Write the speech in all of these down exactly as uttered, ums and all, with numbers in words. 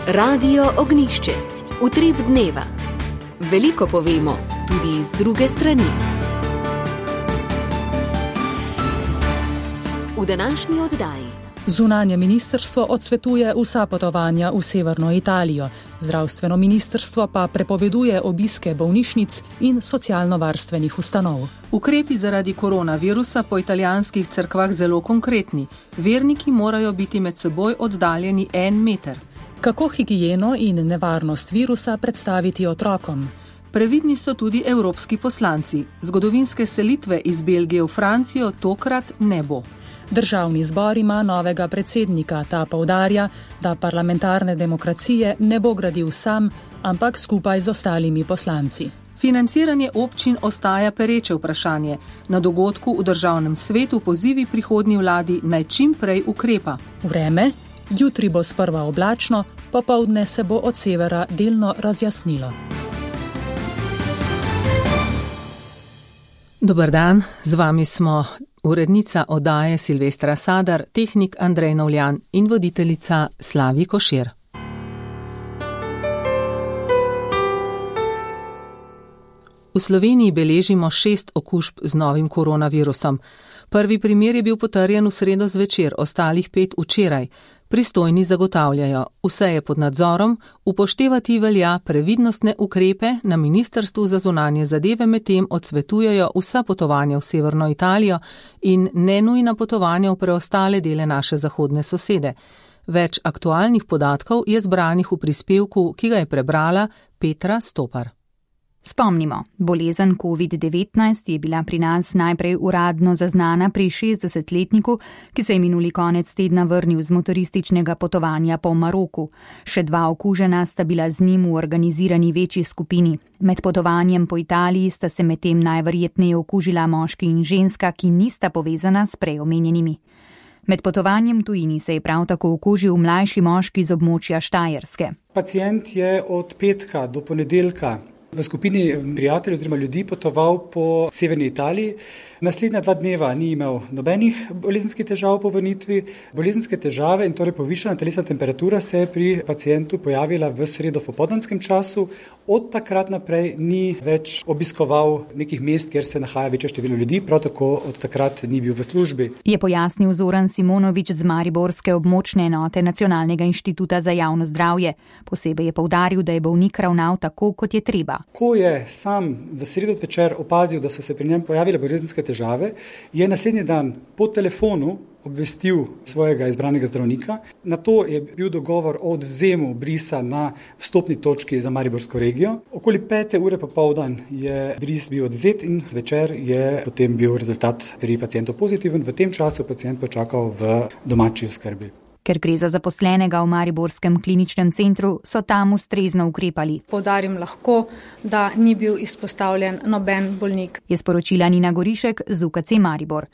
Radio Ognišče, utrip dneva. Veliko povemo, tudi z druge strani. V današnji oddaji. Zunanje ministrstvo odsvetuje vsa potovanja v severno Italijo, zdravstveno ministrstvo pa prepoveduje obiske bolnišnic in socialno-varstvenih ustanov. Ukrepi zaradi koronavirusa po italijanskih cerkvah zelo konkretni. Verniki morajo biti med seboj oddaljeni en meter. Kako higieno in nevarnost virusa predstaviti otrokom? Previdni so tudi evropski poslanci. Zgodovinske selitve iz Belgije v Francijo tokrat ne bo. Državni zbor ima novega predsednika, ta poudarja, da parlamentarne demokracije ne bo gradil sam, ampak skupaj z ostalimi poslanci. Financiranje občin ostaja pereče vprašanje. Na dogodku v državnem svetu pozivi prihodnji vladi naj čim prej ukrepa. Vreme? Jutri bo sprva oblačno, popoldne se bo od severa delno razjasnilo. Dober dan, z vami smo urednica oddaje Silvestra Sadar, tehnik Andrej Novljan in voditeljica Slavi Košir. V Sloveniji beležimo šest okužb z novim koronavirusom. Prvi primer je bil potrjen v sredo zvečer, ostalih pet včeraj. Pristojni zagotavljajo, vse je pod nadzorom, upoštevati velja previdnostne ukrepe, na Ministrstvu za zunanje zadeve medtem odsvetujejo vsa potovanja v severno Italijo in nenujna potovanja v preostale dele naše zahodne sosede. Več aktualnih podatkov je zbranih v prispevku, ki ga je prebrala Petra Stopar. Spomnimo, bolezen covid devetnajst je bila pri nas najprej uradno zaznana pri šestdesetletniku, ki se je minuli konec tedna vrnil z motorističnega potovanja po Maroku. Še dva okužena sta bila z njim v organizirani večji skupini. Med potovanjem po Italiji sta se medtem najverjetneje okužila moški in ženska, ki nista povezana s prej omenjenimi. Med potovanjem tujini se je prav tako okužil mlajši moški z območja Štajerske. Pacient je od petka do ponedeljka v skupini prijateljev oziroma ljudi potoval po severni Italiji. Naslednja dva dneva ni imel nobenih bolezenskih težav po vrnitvi. Bolezenske težave in torej povišana telesna temperatura se je pri pacientu pojavila v sredo v popoldanskem času. Od takrat naprej ni več obiskoval nekih mest, kjer se nahaja večje število ljudi, prav tako od takrat ni bil v službi. Je pojasnil Zoran Simonovič z mariborske območne enote Nacionalnega inštituta za javno zdravje. Posebej je poudaril, da je bolnik ravnal tako, kot je treba. Ko je sam v sredo zvečer opazil, da so se pri njem pojavile bolezenske težave, je naslednji dan po telefonu obvestil svojega izbranega zdravnika. Na to je bil dogovor o odvzemu brisa na vstopni točki za mariborsko regijo. Okoli pete ure popoldan je bris bil odvzet in večer je potem bil rezultat pri pacientu pozitiven. V tem času pacient počakal v domači oskrbi. Ker gre za zaposlenega v mariborskem kliničnem centru, so tam ustrezno ukrepali. Poudarim lahko, da ni bil izpostavljen noben bolnik. Je sporočila Nina Gorišek z U K C Maribor.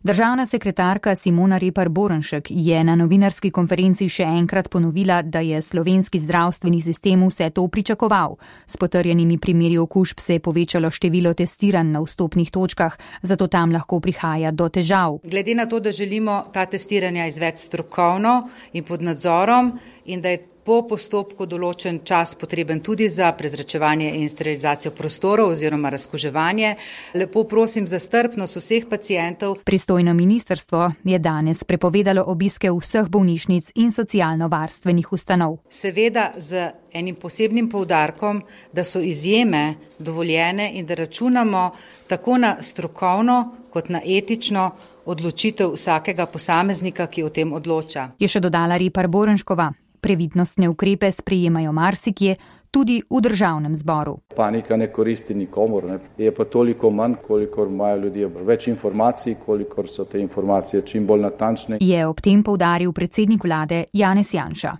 Državna sekretarka Simona Repar Borenšek je na novinarski konferenci še enkrat ponovila, da je slovenski zdravstveni sistem vse to pričakoval. S potrjenimi primeri okužb se je povečalo število testiranj na vstopnih točkah, zato tam lahko prihaja do težav. Glede na to, da želimo ta testiranja izvesti strokovno in pod nadzorom in da je po postopku določen čas potreben tudi za prezračevanje in sterilizacijo prostorov oziroma razkuževanje. Lepo prosim za strpnost vseh pacientov. Pristojno ministrstvo je danes prepovedalo obiske vseh bolnišnic in socialno-varstvenih ustanov. Seveda z enim posebnim poudarkom, da so izjeme dovoljene in da računamo tako na strokovno kot na etično odločitev vsakega posameznika, ki o tem odloča. Je še dodala Repar Borenškova. Previdnostne ukrepe sprejemajo marsikje, tudi v državnem zboru. Panika ne koristi nikomur, ne? Je pa toliko manj, kolikor imajo ljudje več informacij, kolikor so te informacije čim bolj natančne. Je ob tem poudaril predsednik vlade Janez Janša.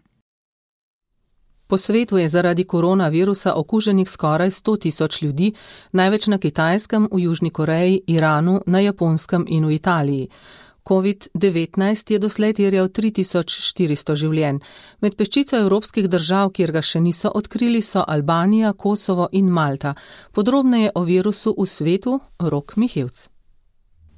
Po svetu je zaradi koronavirusa okuženih skoraj sto tisoč ljudi, največ na Kitajskem, v Južni Koreji, Iranu, na Japonskem in v Italiji. covid devetnajst je doslej terjal tri tisoč štiristo življenj. Med peščico evropskih držav, kjer ga še niso odkrili, so Albanija, Kosovo in Malta. Podrobneje o virusu v svetu Rok Mihevc.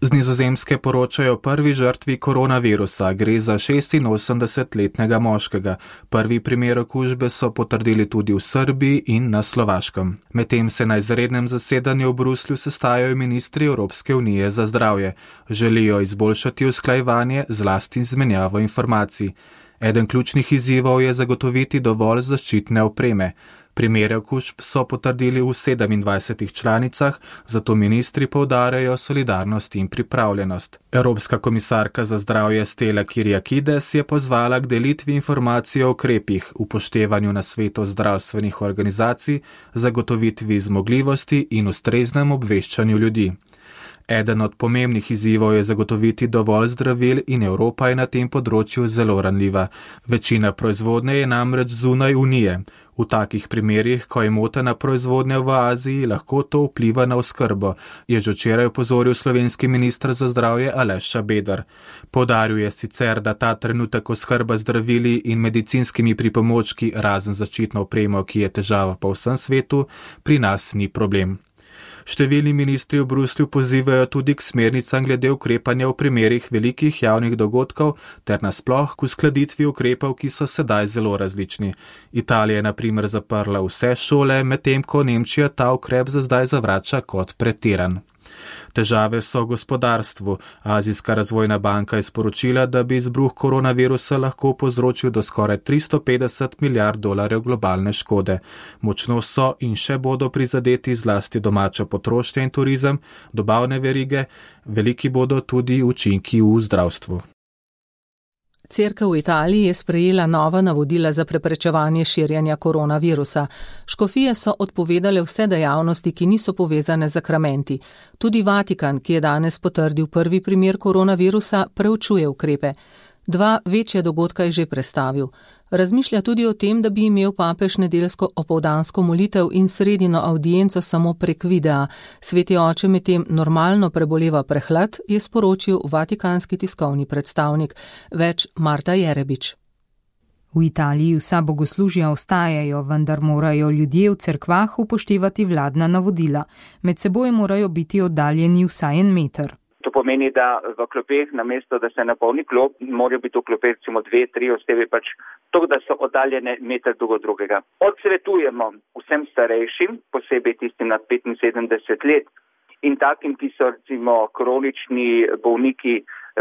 Z Nizozemske poročajo o prvi žrtvi koronavirusa, gre za šestinosemdesetletnega moškega. Prvi primer okužbe so potrdili tudi v Srbiji in na Slovaškem. Medtem se na izrednem zasedanju v Bruslju sestajajo ministri Evropske unije za zdravje. Želijo izboljšati usklajevanje, zlasti izmenjavo informacij. Eden ključnih izzivov je zagotoviti dovolj zaščitne opreme. Primere okužb so potrdili v sedemindvajsetih članicah, zato ministri poudarjajo solidarnost in pripravljenost. Evropska komisarka za zdravje Stella Kyriakides je pozvala k delitvi informacij o ukrepih, upoštevanju nasvetov zdravstvenih organizacij, zagotovitvi zmogljivosti in ustreznem obveščanju ljudi. Eden od pomembnih izzivov je zagotoviti dovolj zdravil in Evropa je na tem področju zelo ranljiva. Večina proizvodnje je namreč zunaj Unije. V takih primerjih, ko je motena proizvodnja v Aziji, lahko to vpliva na oskrbo, je že včeraj opozoril slovenski minister za zdravje Aleš Šabeder. Poudaril je sicer, da ta trenutek oskrba zdravili in medicinskimi pripomočki, razen zaščitno opremo, ki je težava po vsem svetu, pri nas ni problem. Številni ministri v Bruslju pozivajo tudi k smernicam glede ukrepanja v primerih velikih javnih dogodkov ter nasploh k uskladitvi ukrepov, ki so sedaj zelo različni. Italija je na primer zaprla vse šole, medtem ko Nemčija ta ukrep za zdaj zavrača kot pretiran. Težave so v gospodarstvu. Azijska razvojna banka je sporočila, da bi izbruh koronavirusa lahko povzročil do skoraj tristo petdeset milijard dolarjev globalne škode. Močno so in še bodo prizadeti zlasti domača potrošnja in turizem, dobavne verige, veliki bodo tudi učinki v zdravstvu. Cerkev v Italiji je sprejela nova navodila za preprečevanje širjenja koronavirusa. Škofije so odpovedale vse dejavnosti, ki niso povezane z sakramenti. Tudi Vatikan, ki je danes potrdil prvi primer koronavirusa, preučuje ukrepe. Dva večja dogodka je že prestavil. Razmišlja tudi o tem, da bi imel papež nedeljsko opoldansko molitev in sredino avdienco samo prek videa. Sveti oče medtem normalno preboleva prehlad, je sporočil vatikanski tiskovni predstavnik, več Marta Jerebič. V Italiji vsa bogoslužja ostajajo, vendar morajo ljudje v cerkvah upoštevati vladna navodila. Med seboj morajo biti oddaljeni vsaj en meter. To pomeni, da v klopeh, namesto da se napolni klop, morajo biti v klopeh recimo dve, tri osebe, pač to, da so oddaljene meter drug od drugega. Odsvetujemo vsem starejšim, posebej tistim nad petinsedemdeset let in takim, ki so recimo kronični bolniki,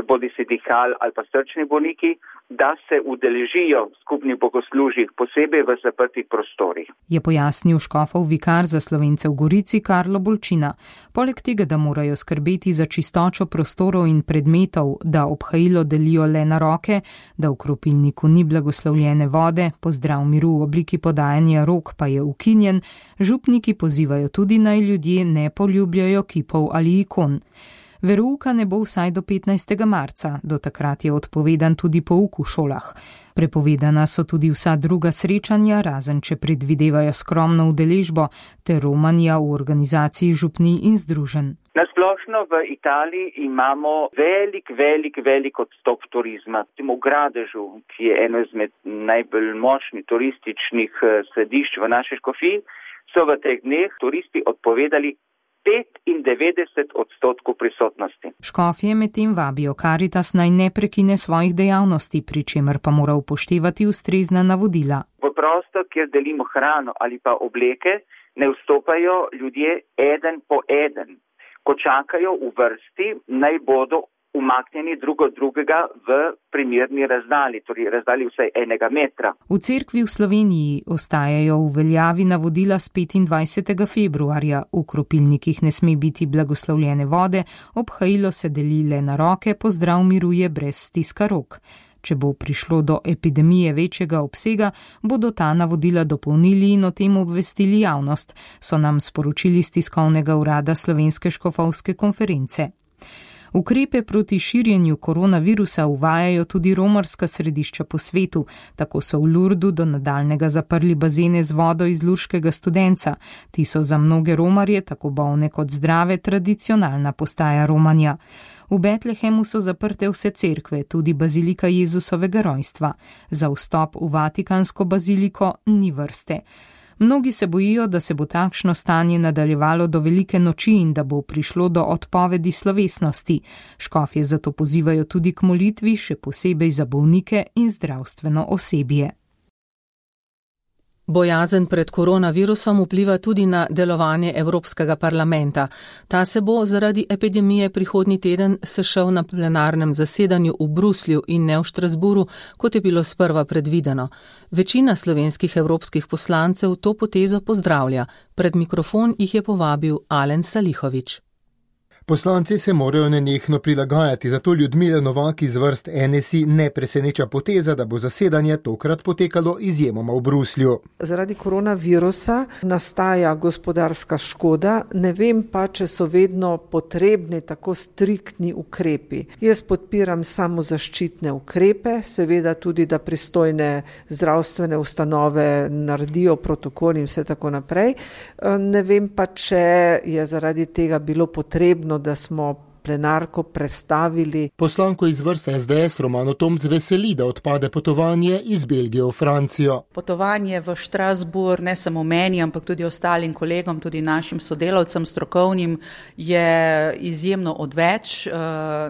bodi si dihal ali pa srčni bolniki, da se udeležijo skupnih bogoslužij, posebej v zaprtih prostorih. Je pojasnil škofov vikar za Slovence v Gorici Karlo Bolčina. Poleg tega, da morajo skrbeti za čistočo prostorov in predmetov, da obhajilo delijo le na roke, da v kropilniku ni blagoslovljene vode, pozdrav miru v obliki podajanja rok pa je ukinjen, župniki pozivajo tudi naj ljudje ne poljubljajo kipov ali ikon. Verouka ne bo vsaj do petnajstega marca, do takrat je odpovedan tudi pouk v šolah. Prepovedana so tudi vsa druga srečanja, razen če predvidevajo skromno udeležbo, ter romanja v organizaciji župnij in združenj. Nasplošno v Italiji imamo velik, velik, velik odstop turizma. V Gradežu, ki je eno izmed najbolj močnih turističnih središč v naši škofiji, so v teh dneh turisti odpovedali petindevetdeset odstotkov prisotnosti. Škofje medtem vabijo Karitas naj ne prekine svojih dejavnosti, pri čemer pa mora upoštevati ustrezna navodila. V prostor, kjer delimo hrano ali pa obleke, ne vstopajo ljudje eden po eden. Ko čakajo v vrsti, naj bodo umaknjeni drug od drugega v primerni razdalji, torej razdalji vsaj enega metra. V cerkvi v Sloveniji ostajajo v veljavi navodila s petindvajsetega februarja. V kropilnikih ne sme biti blagoslovljene vode, obhajilo se deli le na roke, pozdrav miruje brez stiska rok. Če bo prišlo do epidemije večjega obsega, bodo ta navodila dopolnili in o tem obvestili javnost, so nam sporočili z tiskovnega urada Slovenske škofovske konference. Ukrepe proti širjenju koronavirusa uvajajo tudi romarska središča po svetu, tako so v Lurdu do nadaljnega zaprli bazene z vodo iz lurškega Studenca. Ti so za mnoge romarje, tako bolne kot zdrave, tradicionalna postaja romanja. V Betlehemu so zaprte vse cerkve, tudi bazilika Jezusovega rojstva. Za vstop v Vatikansko baziliko ni vrste. Mnogi se bojijo, da se bo takšno stanje nadaljevalo do velike noči in da bo prišlo do odpovedi slovesnosti. Škofje zato pozivajo tudi k molitvi, še posebej za bolnike in zdravstveno osebje. Bojazen pred koronavirusom vpliva tudi na delovanje Evropskega parlamenta. Ta se bo zaradi epidemije prihodnji teden sešel na plenarnem zasedanju v Bruslju in ne v Štrasburu, kot je bilo sprva predvideno. Večina slovenskih evropskih poslancev to potezo pozdravlja. Pred mikrofon jih je povabil Alen Salihović. Poslanci se morajo nenehno prilagajati, zato Ljudmila Novak iz vrst N S I ne preseneča poteza, da bo zasedanje tokrat potekalo izjemoma v Bruslju. Zaradi koronavirusa nastaja gospodarska škoda, ne vem pa, če so vedno potrebni tako striktni ukrepi. Jaz podpiram samozaščitne ukrepe, seveda tudi, da pristojne zdravstvene ustanove naredijo protokol in vse tako naprej. Ne vem pa, če je zaradi tega bilo potrebno, da smo plenarko prestavili. Poslanko iz vrst S D S Romano Tomc veseli, da odpade potovanje iz Belgije v Francijo. Potovanje v Štrasburg, ne samo meni, ampak tudi ostalim kolegom, tudi našim sodelavcem strokovnim, je izjemno odveč,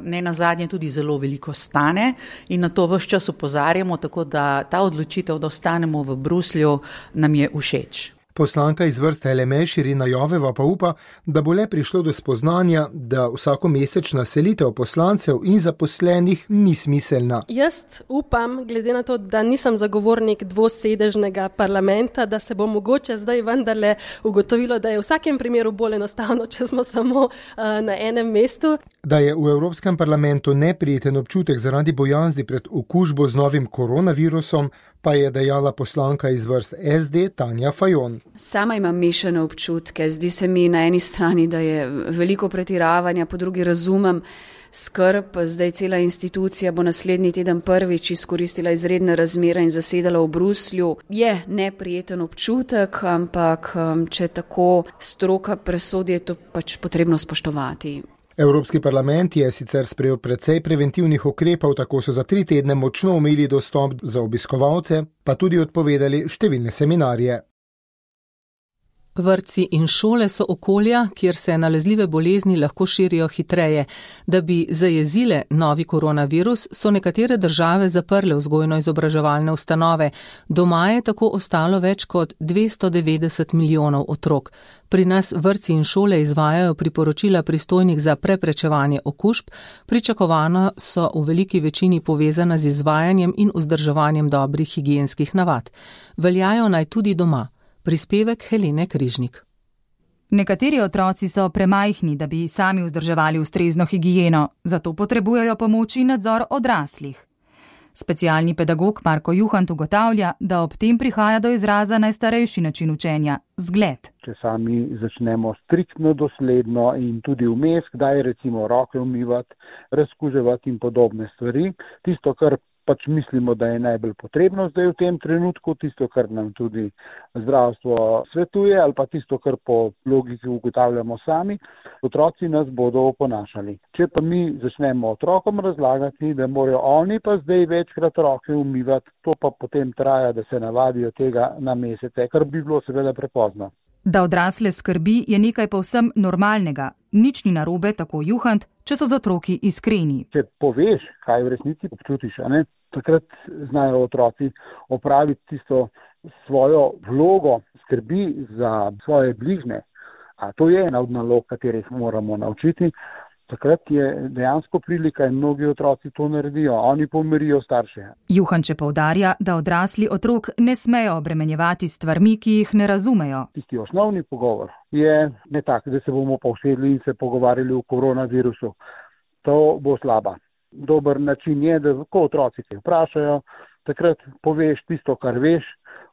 ne nazadnje tudi zelo veliko stane in na to ves čas opozarjamo, tako da ta odločitev, da ostanemo v Bruslju, nam je všeč. Poslanka iz vrste L M E Irina Joveva pa upa, da bo le prišlo do spoznanja, da vsakomesečna selitev poslancev in zaposlenih ni smiselna. Jaz upam, glede na to, da nisem zagovornik dvosedežnega parlamenta, da se bo mogoče zdaj vendarle ugotovilo, da je v vsakem primeru bolj enostavno, če smo samo uh, na enem mestu. Da je v Evropskem parlamentu neprijeten občutek zaradi bojazni pred okužbo z novim koronavirusom, pa je dejala poslanka iz vrst S D Tanja Fajon. Sama imam mešane občutke. Zdi se mi na eni strani, da je veliko pretiravanja, po drugi razumem skrb. Zdaj cela institucija bo naslednji teden prvič izkoristila izredne razmere in zasedala v Bruslju. Je neprijeten občutek, ampak če tako stroka presodi, je to pač potrebno spoštovati. Evropski parlament je sicer sprejel precej preventivnih ukrepov, tako so za tri tedne močno omejili dostop za obiskovalce, pa tudi odpovedali številne seminarje. Vrtci in šole so okolja, kjer se nalezljive bolezni lahko širijo hitreje. Da bi zajezile novi koronavirus, so nekatere države zaprle vzgojno-izobraževalne ustanove. Doma je tako ostalo več kot dvesto devetdeset milijonov otrok. Pri nas vrtci in šole izvajajo priporočila pristojnih za preprečevanje okužb, pričakovano so v veliki večini povezana z izvajanjem in vzdrževanjem dobrih higienskih navad. Veljajo naj tudi doma. Prispevek Helene Križnik. Nekateri otroci so premajhni, da bi sami vzdrževali ustrezno higieno, zato potrebujejo pomoč in nadzor odraslih. Specialni pedagog Marko Juhant ugotavlja, da ob tem prihaja do izraza najstarejši način učenja – zgled. Če sami začnemo striktno, dosledno in tudi vmes, kdaj recimo roke umivati, razkuževati in podobne stvari, tisto, kar pač mislimo, da je najbolj potrebno zdaj v tem trenutku, tisto, kar nam tudi zdravstvo svetuje ali pa tisto, kar po logiki ugotavljamo sami, otroci nas bodo oponašali. Če pa mi začnemo otrokom razlagati, da morajo oni pa zdaj večkrat roke umivati, to pa potem traja, da se navadijo tega na mesece, kar bi bilo seveda prepozno. Da odrasle skrbi je nekaj povsem normalnega. Nič ni narobe, tako Juhant, če so z otroki iskreni. Če poveš, kaj v resnici občutiš, a ne, takrat znajo otroci opraviti tisto svojo vlogo skrbi za svoje bližnje. A to je ena od nalog, katerih moramo naučiti. Takrat je dejansko prilika in mnogi otroci to naredijo. Oni pomirijo starše. Juhanče poudarja, da odrasli otrok ne smejo obremenjevati stvarmi, ki jih ne razumejo. Tisti osnovni pogovor je ne tak, da se bomo pa usedli in se pogovarjali o koronavirusu. To bo slaba. Dober način je, da ko otroci te vprašajo, takrat poveš tisto, kar veš,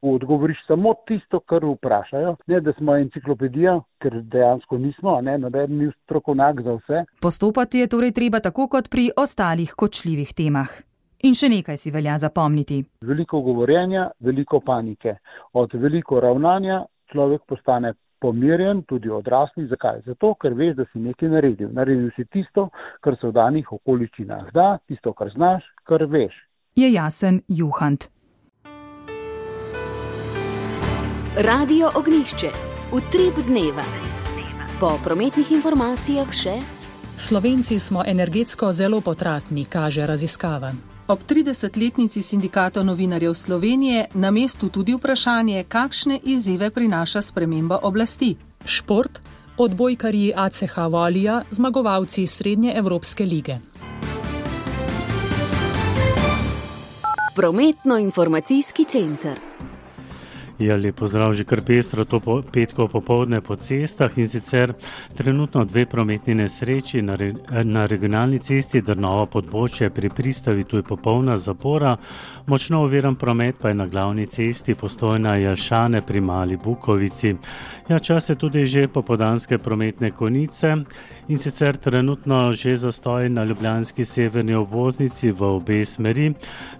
odgovoriš samo tisto, kar vprašajo. Ne, da smo enciklopedija, ker dejansko nismo, ne, noben ni strokovnjak za vse. Postopati je torej treba tako kot pri ostalih kočljivih temah. In še nekaj si velja zapomniti. Veliko govorjenja, veliko panike. Od veliko ravnanja človek postane pomirjen, tudi odrasli. Zakaj? Zato, ker veš, da si nekaj naredil. Naredil si tisto, kar se v danih okoliščinah da, tisto, kar znaš, kar veš. Je jasen Juhant. Radio Ognišče, utrip dneva. Po prometnih informacijah še. Slovenci smo energetsko zelo potratni, kaže raziskava. Ob tridesetletnici Sindikata novinarjev Slovenije na mestu tudi vprašanje, kakšne izzive prinaša sprememba oblasti. Šport, odbojkarji A C H Volija, zmagovalci Srednje Evropske lige. Prometno-informacijski center. Ja, lep pozdrav, že kar pestro to po, petko popovdne po cestah in sicer trenutno dve prometni nesreči na, re, na regionalni cesti Drnovo-Podbočje pri pristavi, tu je popolna zapora, močno oviran promet pa je na glavni cesti Postojna-Jelšane pri Mali Bukovici. Ja, čas je tudi že popoldanske prometne konice in sicer trenutno že zastoj na ljubljanski severni obvoznici v obe smeri,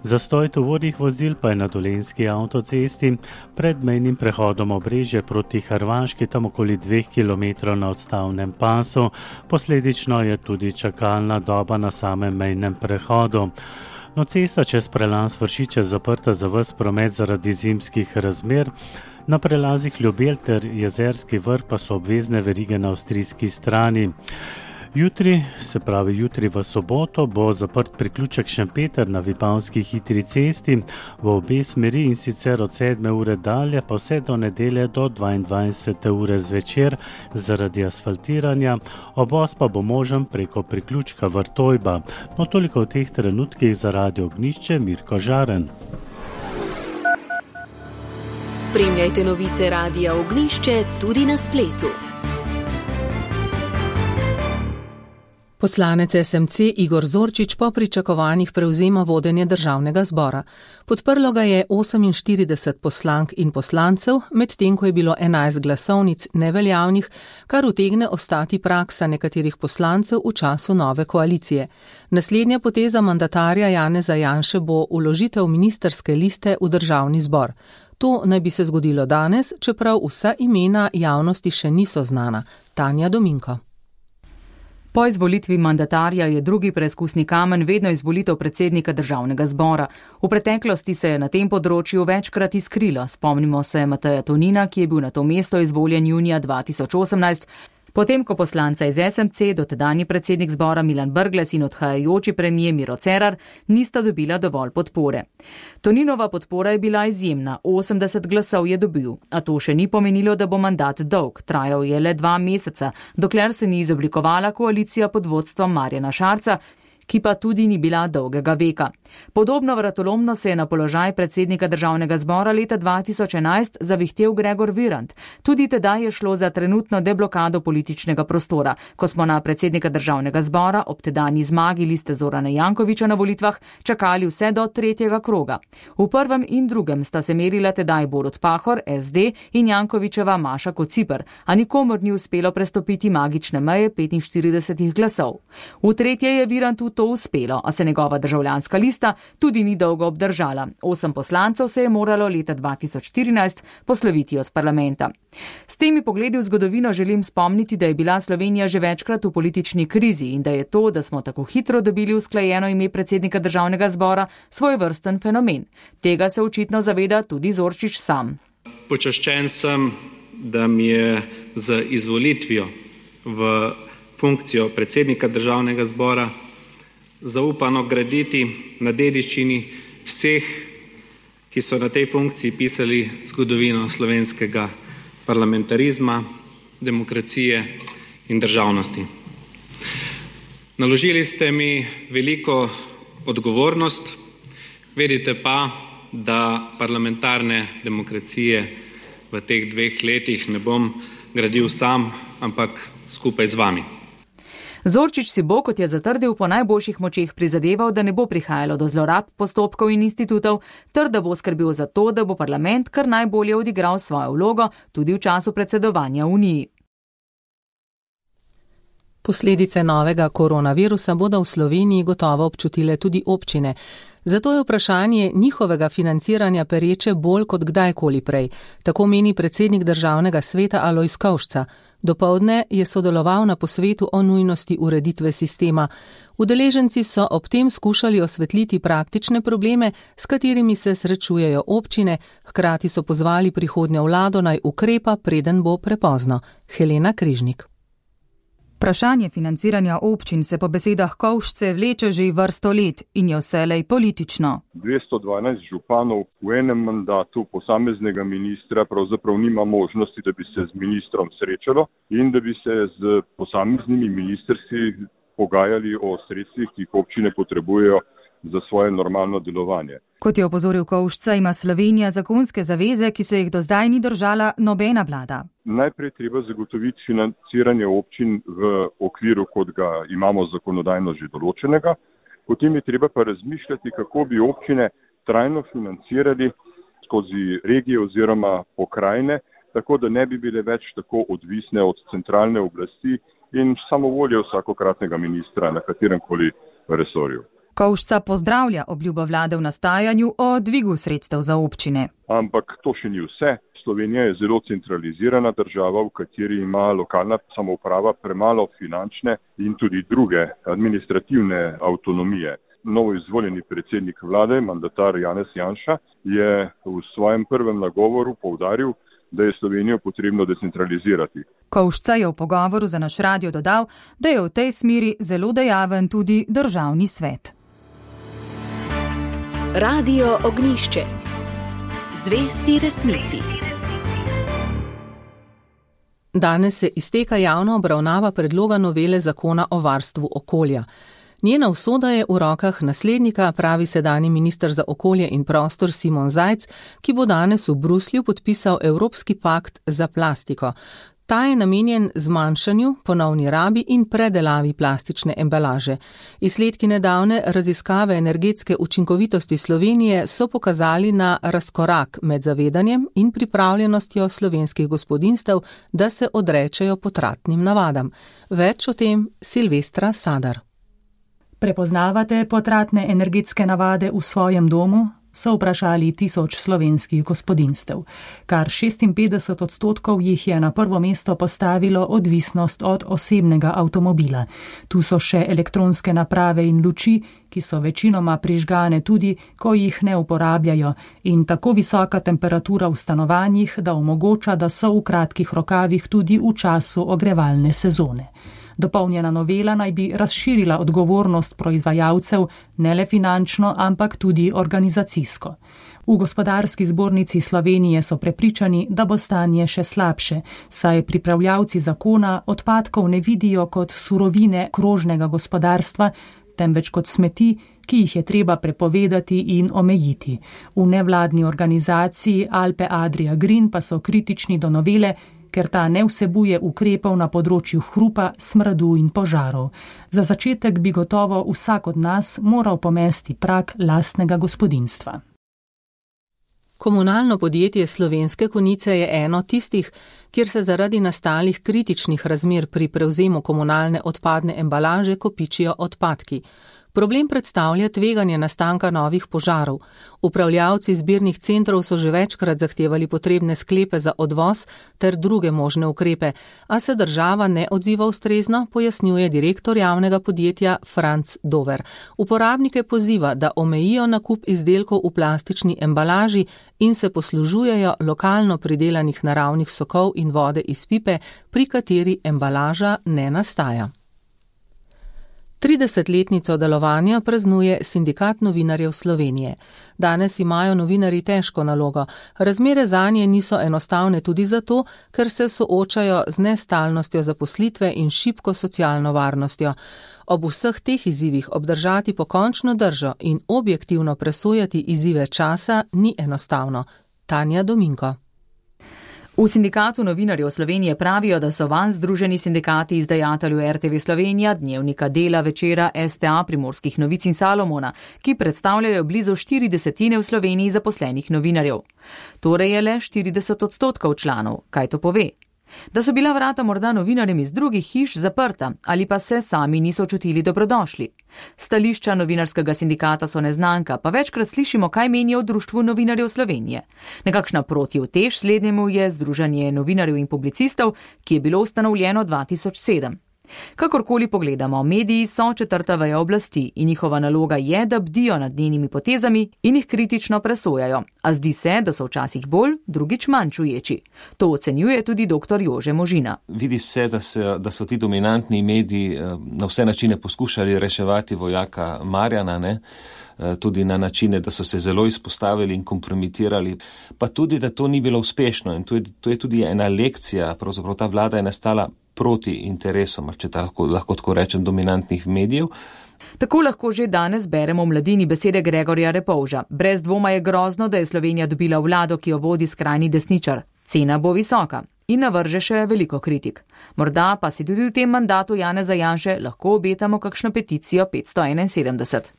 zastoj tovornih vozil pa je na Dolenjski avtocesti pred mejnim prehodom Obrežje proti Hrvaški, tam okoli dveh kilometrov na odstavnem pasu, posledično je tudi čakalna doba na samem mejnem prehodu. No, cesta čez prelaz Vršiče zaprta za ves promet zaradi zimskih razmer, na prelazih Ljubelj ter Jezerski vrh pa so obvezne verige na avstrijski strani. Jutri, se pravi jutri v soboto, bo zaprt priključek Šempeter na Vipavski hitri cesti v obe smeri in sicer od sedme ure dalje pa vse do nedelje do dvaindvajsete ure zvečer zaradi asfaltiranja, obvoz pa bo možen preko priključka Vrtojba. No, toliko v teh trenutkih za Radio Ognišče, Mirko Žaren. Spremljajte novice Radia Ognišče tudi na spletu. Poslanec S M C Igor Zorčič po pričakovanjih prevzema vodenje državnega zbora. Podprlo ga je oseminštirideset poslank in poslancev, medtem ko je bilo enajst glasovnic neveljavnih, kar utegne ostati praksa nekaterih poslancev v času nove koalicije. Naslednja poteza mandatarja Janeza Janše bo vložitev ministrske liste v državni zbor. To naj bi se zgodilo danes, čeprav vsa imena javnosti še niso znana. Tanja Dominko. Po izvolitvi mandatarja je drugi preizkusni kamen vedno izvolitev predsednika državnega zbora. V preteklosti se je na tem področju večkrat izkrilo. Spomnimo se Mateja Tonina, ki je bil na to mesto izvoljen junija dva tisoč osemnajst. Potem, ko poslanca iz S M C, dotedanji predsednik zbora Milan Brglez in odhajajoči premijer Miro Cerar nista dobila dovolj podpore. Toninova podpora je bila izjemna, osemdeset glasov je dobil, a to še ni pomenilo, da bo mandat dolg, trajal je le dva meseca, dokler se ni izoblikovala koalicija pod vodstvom Marjana Šarca, ki pa tudi ni bila dolgega veka. Podobno vratolomno se je na položaj predsednika državnega zbora leta dva tisoč enajst zavihtel Gregor Virant. Tudi tedaj je šlo za trenutno deblokado političnega prostora, ko smo na predsednika državnega zbora ob tedanji zmagi liste Zorana Jankovića na volitvah čakali vse do tretjega kroga. V prvem in drugem sta se merila tedaj Borut Pahor, S D in Jankovićeva Maša Kociper, a nikomor ni uspelo prestopiti magične meje petinštirideset glasov. V tretje je Virantu to uspelo, a se njegova državljanska lista tudi ni dolgo obdržala. Osem poslancev se je moralo leta dva tisoč štirinajst posloviti od parlamenta. S temi pogledi v zgodovino želim spomniti, da je bila Slovenija že večkrat v politični krizi in da je to, da smo tako hitro dobili usklajeno ime predsednika državnega zbora, svojevrsten fenomen. Tega se očitno zaveda tudi Zorčič sam. Počaščen sem, da mi je z izvolitvijo v funkcijo predsednika državnega zbora zaupano graditi na dediščini vseh, ki so na tej funkciji pisali zgodovino slovenskega parlamentarizma, demokracije in državnosti. Naložili ste mi veliko odgovornost, vedite pa, da parlamentarne demokracije v teh dveh letih ne bom gradil sam, ampak skupaj z vami. Zorčič si bo, kot je zatrdil, po najboljših močeh prizadeval, da ne bo prihajalo do zlorab postopkov in institutov, ter da bo skrbel za to, da bo parlament kar najbolje odigral svojo vlogo tudi v času predsedovanja Uniji. Posledice novega koronavirusa bodo v Sloveniji gotovo občutile tudi občine. Zato je vprašanje njihovega financiranja pereče bolj kot kdajkoli prej, tako meni predsednik državnega sveta Alojz Kovšca. Dopoldne je sodeloval na posvetu o nujnosti ureditve sistema. Udeleženci so ob tem skušali osvetliti praktične probleme, s katerimi se srečujejo občine, hkrati so pozvali prihodnjo vlado naj ukrepa, preden bo prepozno. Helena Križnik. Vprašanje financiranja občin se po besedah Kovšce vleče že vrsto let in je vselej politično. dvesto dvanajst županov v enem mandatu posameznega ministra pravzaprav nima možnosti, da bi se z ministrom srečalo in da bi se z posameznimi ministrstvi pogajali o sredstvih, ki jih občine potrebujejo za svoje normalno delovanje. Kot je opozoril Kovšca, ima Slovenija zakonske zaveze, ki se jih do zdaj ni držala nobena vlada. Najprej treba zagotoviti financiranje občin v okviru, kot ga imamo zakonodajno že določenega, potem je treba pa razmišljati, kako bi občine trajno financirali skozi regije oziroma pokrajine, tako da ne bi bile več tako odvisne od centralne oblasti in samovolje vsakokratnega ministra na katerem koli resorju. Kovšca pozdravlja obljubo vlade v nastajanju o dvigu sredstev za občine. Ampak to še ni vse. Slovenija je zelo centralizirana država, v kateri ima lokalna samouprava premalo finančne in tudi druge administrativne avtonomije. Novo izvoljeni predsednik vlade, mandatar Janez Janša, je v svojem prvem nagovoru poudaril, da je Slovenijo potrebno decentralizirati. Kovšca je v pogovoru za naš radio dodal, da je v tej smeri zelo dejaven tudi državni svet. Radio Ognjišče. Zvesti resnici. Danes se izteka javna obravnava predloga novele zakona o varstvu okolja. Njena usoda je v rokah naslednika, pravi sedanji minister za okolje in prostor Simon Zajc, ki bo danes v Bruslju podpisal Evropski pakt za plastiko. Ta je namenjen zmanjšanju, ponovni rabi in predelavi plastične embalaže. Izsledki nedavne raziskave energetske učinkovitosti Slovenije so pokazali na razkorak med zavedanjem in pripravljenostjo slovenskih gospodinjstev, da se odrečejo potratnim navadam. Več o tem Silvestra Sadar. Prepoznavate potratne energetske navade v svojem domu? So vprašali tisoč slovenskih gospodinjstev. Kar šestinpetdeset odstotkov jih je na prvo mesto postavilo odvisnost od osebnega avtomobila. Tu so še elektronske naprave in luči, ki so večinoma prižgane tudi, ko jih ne uporabljajo, in tako visoka temperatura v stanovanjih, da omogoča, da so v kratkih rokavih tudi v času ogrevalne sezone. Dopolnjena novela naj bi razširila odgovornost proizvajalcev ne le finančno, ampak tudi organizacijsko. V Gospodarski zbornici Slovenije so prepričani, da bo stanje še slabše, saj pripravljavci zakona odpadkov ne vidijo kot surovine krožnega gospodarstva, temveč kot smeti, ki jih je treba prepovedati in omejiti. V nevladni organizaciji Alpe Adria Green pa so kritični do novele, ker ta ne vsebuje ukrepov na področju hrupa, smradu in požarov. Za začetek bi gotovo vsak od nas moral pomesti prag lastnega gospodinjstva. Komunalno podjetje Slovenske Konjice je eno tistih, kjer se zaradi nastalih kritičnih razmer pri prevzemu komunalne odpadne embalaže kopičijo odpadki. Problem predstavlja tveganje nastanka novih požarov. Upravljavci zbirnih centrov so že večkrat zahtevali potrebne sklepe za odvoz ter druge možne ukrepe, a se država ne odziva ustrezno, pojasnjuje direktor javnega podjetja Franc Dover. Uporabnike poziva, da omejijo nakup izdelkov v plastični embalaži in se poslužujejo lokalno pridelanih naravnih sokov in vode iz pipe, pri kateri embalaža ne nastaja. tridesetletnico delovanja praznuje Sindikat novinarjev Slovenije. Danes imajo novinarji težko nalogo. Razmere zanje niso enostavne tudi zato, ker se soočajo z nestalnostjo zaposlitve in šibko socialno varnostjo. Ob vseh teh izzivih obdržati pokončno držo in objektivno presojati izzive časa ni enostavno. Tanja Dominko. V Sindikatu novinarjev Slovenije pravijo, da so van združeni sindikati izdajatelju R T V Slovenija, Dnevnika, Dela, Večera, S T A, Primorskih novic in Salomona, ki predstavljajo blizu štiri desetine v Sloveniji zaposlenih novinarjev. Torej je le štirideset odstotkov članov. Kaj to pove? Da so bila vrata morda novinarjem iz drugih hiš zaprta ali pa se sami niso čutili dobrodošli. Stališča novinarskega sindikata so neznanka, pa večkrat slišimo, kaj menijo o Društvu novinarjev Slovenije. Nekakšna protiutež slednjemu je Združenje novinarjev in publicistov, ki je bilo ustanovljeno dva tisoč sedem. Kakorkoli pogledamo, mediji so četrta veja oblasti in njihova naloga je, da bdijo nad njenimi potezami in jih kritično presojajo. A zdi se, da so včasih bolj, drugič manj čuječi. To ocenjuje tudi dr. Jože Možina. Vidi se, da, se, da so ti dominantni mediji na vse načine poskušali reševati vojaka Marjana, ne? Tudi na načine, da so se zelo izpostavili in kompromitirali, pa tudi, da to ni bilo uspešno. In to je, to je tudi ena lekcija, pravzaprav ta vlada je nastala proti interesom, če tako, lahko tako rečem, dominantnih medijev. Tako lahko že danes beremo v Mladini besede Gregorja Repovža. Brez dvoma je grozno, da je Slovenija dobila vlado, ki jo vodi skrajni desničar. Cena bo visoka in navrže še veliko kritik. Morda pa si tudi v tem mandatu Janeza Janše lahko obetamo kakšno peticijo petsto enainsedemdeset.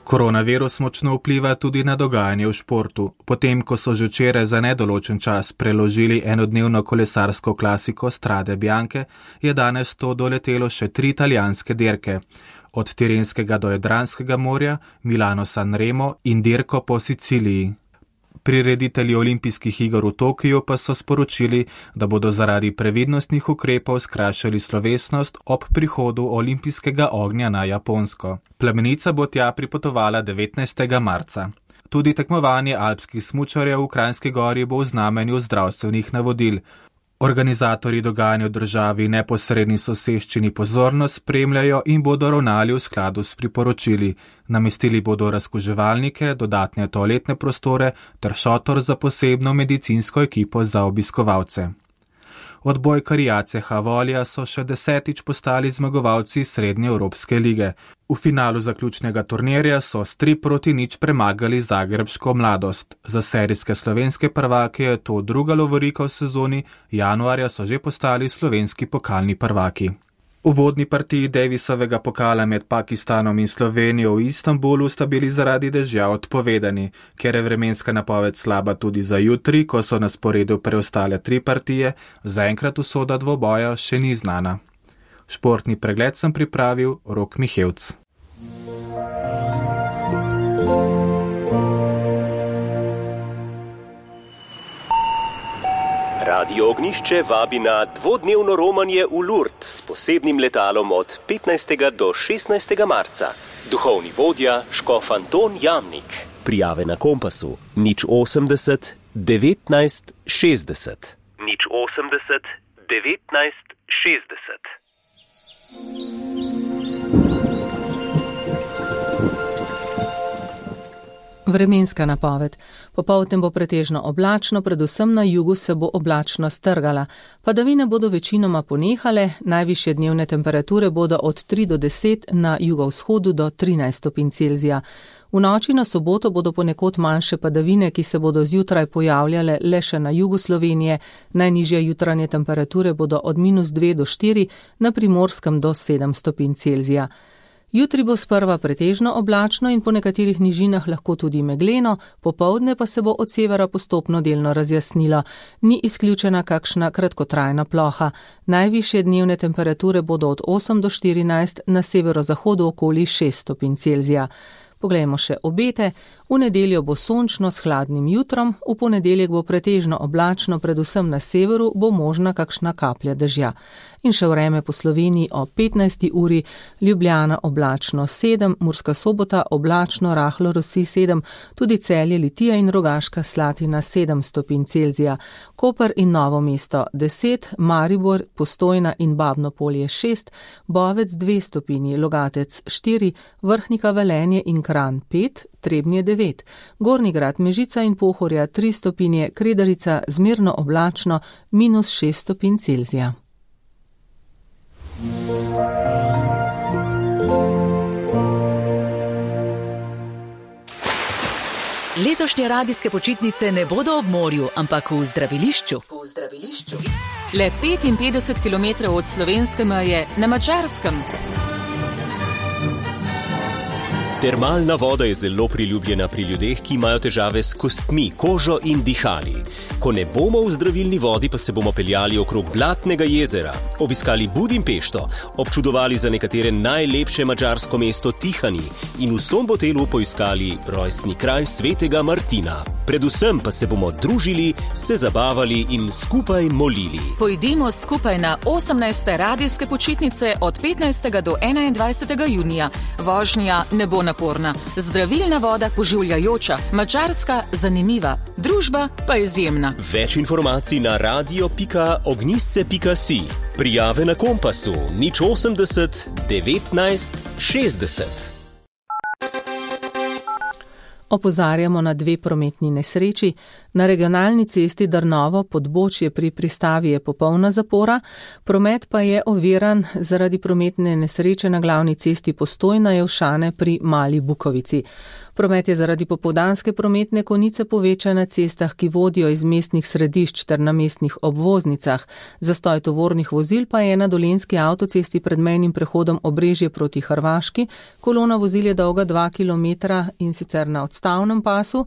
Koronavirus močno vpliva tudi na dogajanje v športu. Potem, ko so že včeraj za nedoločen čas preložili enodnevno kolesarsko klasiko Strade Bianche, je danes to doletelo še tri italijanske dirke. Od Tirenskega do Jadranskega morja, Milano-San Remo in dirko po Siciliji. Prireditelji olimpijskih iger v Tokiju pa so sporočili, da bodo zaradi previdnostnih ukrepov skrajšali slovesnost ob prihodu olimpijskega ognja na Japonsko. Plamenica bo tja pripotovala devetnajstega marca. Tudi tekmovanje alpskih smučarjev v Kranjski Gori bo v znamenju zdravstvenih navodil. Organizatorji dogajanja v državi neposredni soseščini pozorno spremljajo in bodo ravnali v skladu s priporočili. Namestili bodo razkuževalnike, dodatne toaletne prostore ter šotor za posebno medicinsko ekipo za obiskovalce. Odbojkarji A C H Volja so še desetič postali zmagovalci Srednje Evropske lige. V finalu zaključnega turnirja so s tri proti nič premagali zagrebško Mladost. Za serijske slovenske prvake je to druga lovorika v sezoni, januarja so že postali slovenski pokalni prvaki. V uvodni partiji Davisovega pokala med Pakistanom in Slovenijo v Istanbulu sta bili zaradi dežja odpovedani, ker je vremenska napoved slaba tudi za jutri, ko so na sporedu preostale tri partije, zaenkrat usoda dvoboja še ni znana. Športni pregled sem pripravil Rok Mihevc. Radio Ognišče vabi na dvodnevno romanje v Lourdes s posebnim letalom od petnajstega do šestnajstega marca. Duhovni vodja škof Anton Jamnik. Prijave na Kompasu nič osemdeset devetnajst šestdeset. nič osemdeset devetnajst šestdeset. Vremenska napoved. Popoldne bo pretežno oblačno, predvsem na jugu se bo oblačno strgala. Padavine bodo večinoma ponehale, najvišje dnevne temperature bodo od tri do deset, na jugovzhodu do trinajst stopinj Celzija. V noči na soboto bodo ponekod manjše padavine, ki se bodo zjutraj pojavljale le še na jugu Slovenije. Najnižje jutranje temperature bodo od minus dve do štiri, na Primorskem do sedem stopinj Celzija. Jutri bo sprva pretežno oblačno in po nekaterih nižinah lahko tudi megleno, popoldne pa se bo od severa postopno delno razjasnilo. Ni izključena kakšna kratkotrajna ploha. Najvišje dnevne temperature bodo od osem do štirinajst, na severozahodu okoli šest stopinj Celzija. Poglejmo še obete. V nedeljo bo sončno s hladnim jutrom, v ponedeljek bo pretežno oblačno, predvsem na severu bo možna kakšna kaplja dežja. In še vreme po Sloveniji o petnajsti uri, Ljubljana oblačno sedem, Murska Sobota oblačno, rahlo rosi sedem, tudi Celje, Litija in Rogaška Slatina sedem stopinj Celzija, Koper in Novo mesto deset, Maribor, Postojna in Babno Polje šest, Bovec dve stopinji, Logatec štiri, Vrhnika, Velenje in Kranj pet, Trebnje devet, Gornji Grad, Mežica in Pohorja tri stopinje, Kredarica zmerno oblačno, minus šest stopinj Celzija. Letošnje radijske počitnice ne bodo ob morju, ampak v zdravilišču. V zdravilišču. Le petinpetdeset kilometrov od slovenske meje na Madžarskem. Termalna voda je zelo priljubljena pri ljudeh, ki imajo težave s kostmi, kožo in dihali. Ko ne bomo v zdravilni vodi, pa se bomo peljali okrog Blatnega jezera, obiskali Budimpešto, občudovali za nekatere najlepše madžarsko mesto Tihani in v Sombotelu poiskali rojstni kraj svetega Martina. Predvsem pa se bomo družili, se zabavali in skupaj molili. Pojdimo skupaj na osemnajste radijske počitnice od petnajstega do enaindvajsetega junija. Vožnja ne bo naporna, zdravilna voda poživljajoča, madžarska zanimiva, družba pa izjemna. Več informacij na radio pika ognjisce pika si. Prijave na Kompasu nič osemdeset devetnajst šestdeset. Opozarjamo na dve prometni nesreči. Na regionalni cesti Drnovo-Podbočje pri pristavi je popolna zapora, promet pa je oviran zaradi prometne nesreče na glavni cesti Postojna-Jelšane pri Mali Bukovici. Promet je zaradi popoldanske prometne konice povečan na cestah, ki vodijo iz mestnih središč ter na mestnih obvoznicah. Zastoj tovornih vozil pa je na dolenjski avtocesti pred mejnim prehodom Obrežje proti Hrvaški. Kolona vozil je dolga dva kilometra in sicer na odstavnem pasu.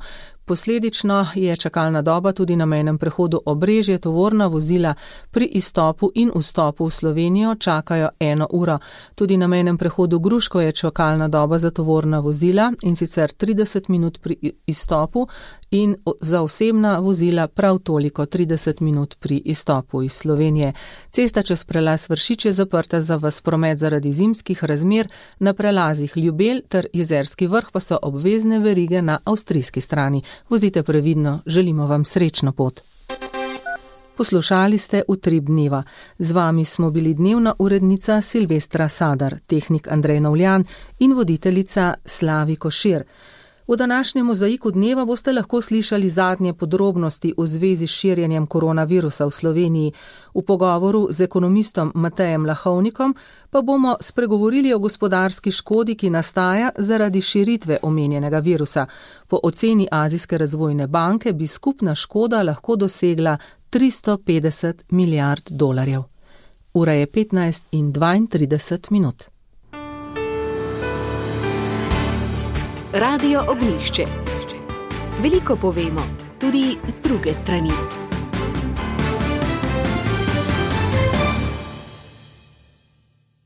Posledično je čakalna doba tudi na mejnem prehodu Obrežje. Tovorna vozila pri izstopu in vstopu v Slovenijo čakajo eno uro. Tudi na mejnem prehodu Gruško je čakalna doba za tovorna vozila in sicer trideset minut pri izstopu in za osebna vozila prav toliko trideset minut pri izstopu iz Slovenije. Cesta čez prelaz Vršič je zaprta za ves promet zaradi zimskih razmer, na prelazih Ljubelj ter Jezerski vrh pa so obvezne verige na avstrijski strani. Vozite previdno, želimo vam srečno pot. Poslušali ste Utrip dneva. Z vami smo bili dnevna urednica Silvestra Sadar, tehnik Andrej Novljan in voditeljica Slavi Košir. V današnjem mozaiku dneva boste lahko slišali zadnje podrobnosti v zvezi s širjenjem koronavirusa v Sloveniji. V pogovoru z ekonomistom Matejem Lahovnikom pa bomo spregovorili o gospodarski škodi, ki nastaja zaradi širitve omenjenega virusa. Po oceni Azijske razvojne banke bi skupna škoda lahko dosegla tristo petdeset milijard dolarjev. Ura je petnajst in dvaintrideset minut. Radio Ognjišče. Veliko povemo, tudi z druge strani.